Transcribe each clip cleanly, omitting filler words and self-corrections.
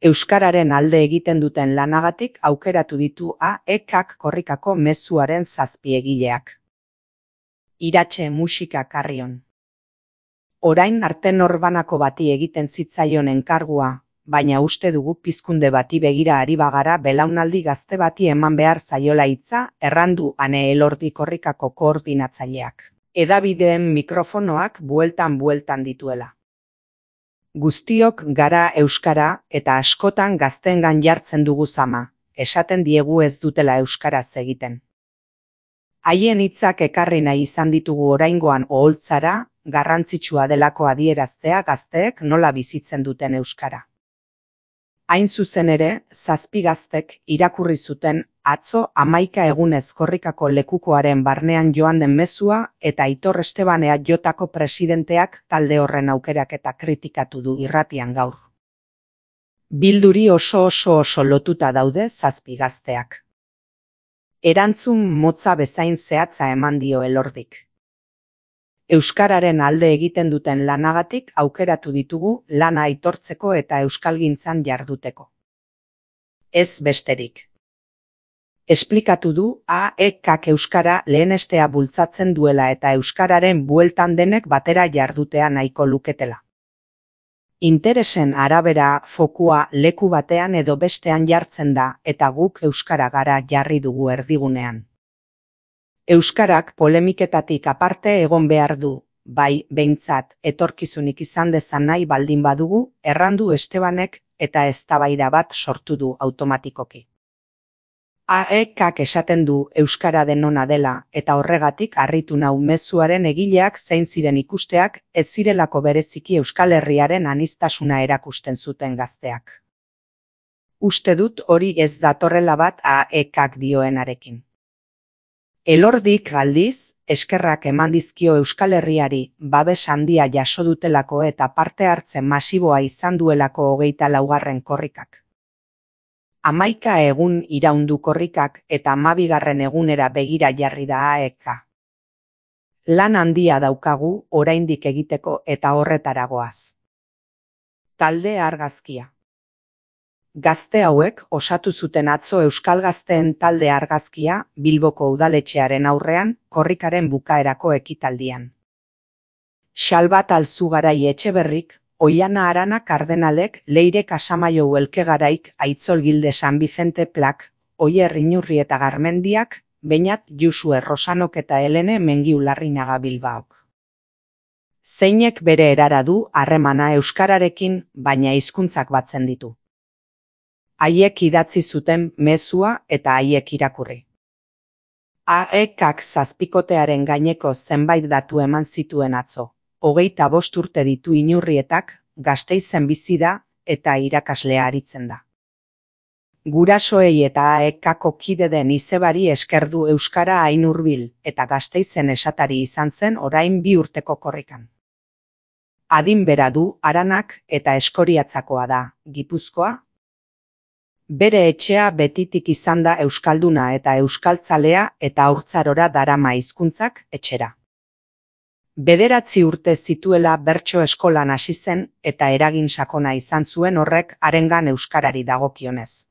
Euskararen alde egiten duten lanagatik aukeratu ditu AEKak korrikako mezuaren 7 egileak. Iratxe musika Carrion. Orain arte norbanako bati egiten zitzaion enkargua, baina uste dugu pizkunde bati begira ari bagara belaunaldi gazte bati eman behar zaiola hitza, errandu Ane Elordi korrikako koordinatzaileak. Hedabideen mikrofonoak bueltan dituela. Guztiok gara euskara eta askotan gazteengan jartzen dugu zama, esaten diegu ez dutela euskaraz egiten. Haien hitzak ekarri nahi izan ditugu oraingoan oholtzara, garrantzitsua delako adieraztea gazteek nola bizitzen duten euskara. Hain zuzen ere, 7 gaztek irakurri zuten atzo 11 egunez korrikako lekukoaren barnean joan den mezua eta Aitor Esteban EAJko presidenteak talde horren aukeraketa kritikatu du irratian gaur. Bilduri oso lotuta daude 7 gazteak. Erantzun motza bezain zehatza eman dio Elordik. Euskararen alde egiten duten lanagatik aukeratu ditugu lana aitortzeko eta euskalgintzan jarduteko. Ez besterik. Esplikatu du AEKak euskara lehenestea bultzatzen duela eta euskararen bueltan denek batera jardutea nahiko luketela. Interesen arabera fokua leku batean edo bestean jartzen da eta guk euskara gara jarri dugu erdigunean. Euskarak polemiketatik aparte egon behar du, bai behintzat etorkizunik izan dezan nahi baldin badugu, errandu Estebanek eta eztabaida bat sortu du automatikoki. AEKak esaten du euskara denona dela eta horregatik harritu nau mezuaren egileak zein ziren ikusteak ez zirelako bereziki Euskal Herriaren aniztasuna erakusten zuten gazteak. Uste dut hori ez datorrela bat AEKak dioenarekin. Elordik aldiz, eskerrak eman dizkio Euskal Herriari babes handia jaso dutelako eta parte hartzen masiboa izan duelako 24. korrikak. 11 egun iraundu korrikak eta 12. egunera begira jarri da AEK. Lan handia daukagu oraindik egiteko eta horretara goaz. Talde argazkia. Gazte hauek osatu zuten atzo Euskal Gazteen talde argazkia Bilboko udaletxearen aurrean korrikaren bukaerako ekitaldian. Xalbat Alzugarai Etxeberrik, Oiana Arana Kardenalek, Leire Casamaiou Elkegaraik, Aitzol Gilde San Vicente Plak, Oier Inurri eta Garmendiak, Beñat Jusue Rosanok eta Helene Mengiu Larrinaga Bilbaok. Zeinek bere erara du harremana euskararekin, baina hizkuntzak batzen ditu. Haiek idatzi zuten mezua eta haiek irakurri. AEKak 7kotearen gaineko zenbait datu eman zituen atzo. 25 urte ditu Inurrietak, Gasteizen bizi da eta irakaslea aritzen da. Gurasoei eta AEKako kide den izebari esker du euskara hain hurbil eta Gasteizen esatari izan zen orain 2 urteko korrikan. Adin bera du Aranak eta Eskoriatzakoa da, Gipuzkoa. Bere etxea betitik izan da euskalduna eta euskaltzalea eta haurtzarora darama hizkuntzak etxera. 9 urte zituela bertso eskolan hasi zen eta eragin sakona izan zuen horrek harengan euskarari dagokionez.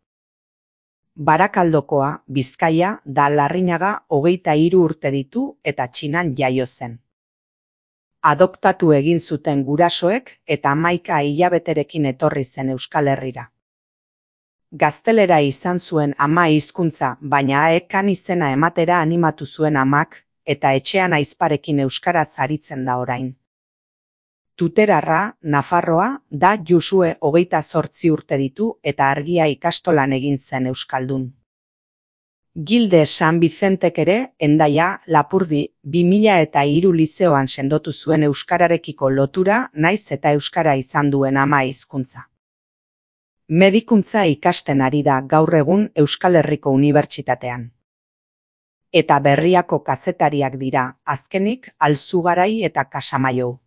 Barakaldokoa, Bizkaia, da Larrinaga 23 urte ditu eta Txinan jaio zen. Adoptatu egin zuten gurasoek eta 11 hilabeterekin etorri zen Euskal Herrira. Gaztelera izan zuen ama hizkuntza, baina AEKan izena ematera animatu zuen amak, eta etxean aizparekin euskaraz aritzen da orain. Tuterarra, Nafarroa, da Jusue 28 urte ditu eta Argia ikastolan egin zen euskaldun. Gilde San Vicentek ere, Hendaia, Lapurdi, 2003 lizeoan sendotu zuen euskararekiko lotura naiz eta euskara izan duen ama hizkuntza. Medikuntza ikasten ari da gaur egun Euskal Herriko Unibertsitatean. Eta Berriako kazetariak dira, azkenik Alzugarai eta Casamaiou.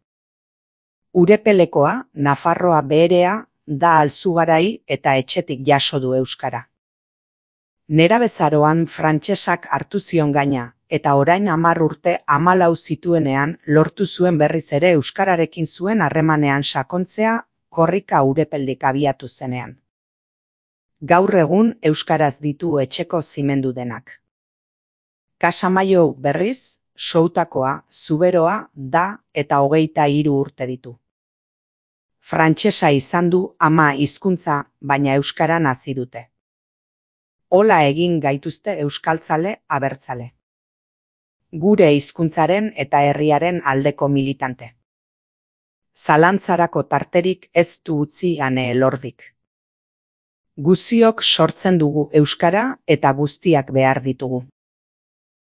Urepelekoa, Nafarroa beherea, da Alzugarai eta etxetik jaso du euskara. Nerabezaroan frantsesak hartu zion gaina, eta orain 10 urte 14 zituenean lortu zuen berriz ere euskararekin zuen harremanean sakontzea, korrika Urepeldik abiatu zenean. Gaur egun euskaraz ditu etxeko zimendu denak. Kasamaio berriz, Soutakoa, Zuberoa da eta 23 urte ditu. Frantsesa izan du ama hizkuntza, baina euskaran hasi dute. Hola egin gaituzte euskaltzale abertzale. Gure hizkuntzaren eta herriaren aldeko militante. Zalantzarako tarterik ez du utzi Ane Elordik. Guziok sortzen dugu euskara eta guztiak behar ditugu.